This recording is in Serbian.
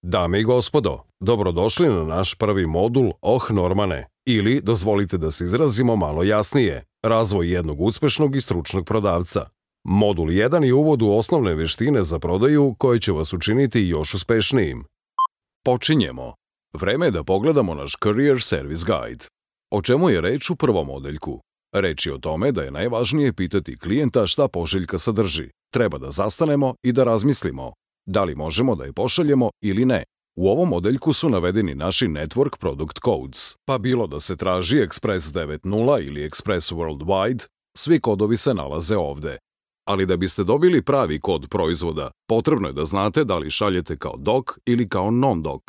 Dame i gospodo, dobrodošli na naš prvi modul Normane, ili, dozvolite da se izrazimo malo jasnije, razvoj jednog uspešnog i stručnog prodavca. Modul 1 je uvod u osnovne veštine za prodaju koje će vas učiniti još uspešnijim. Počinjemo. Vreme je da pogledamo naš Career Service Guide. O čemu je reč u prvom odeljku? Reč je o tome da je najvažnije pitati klijenta šta pošiljka sadrži. Treba da zastanemo i da razmislimo. Da li možemo da je pošaljemo ili ne? U ovom odeljku su navedeni naši Network Product Codes, pa bilo da se traži Express 9.0 ili Express Worldwide, svi kodovi se nalaze ovde. Ali da biste dobili pravi kod proizvoda, potrebno je da znate da li šaljete kao doc ili kao non-doc.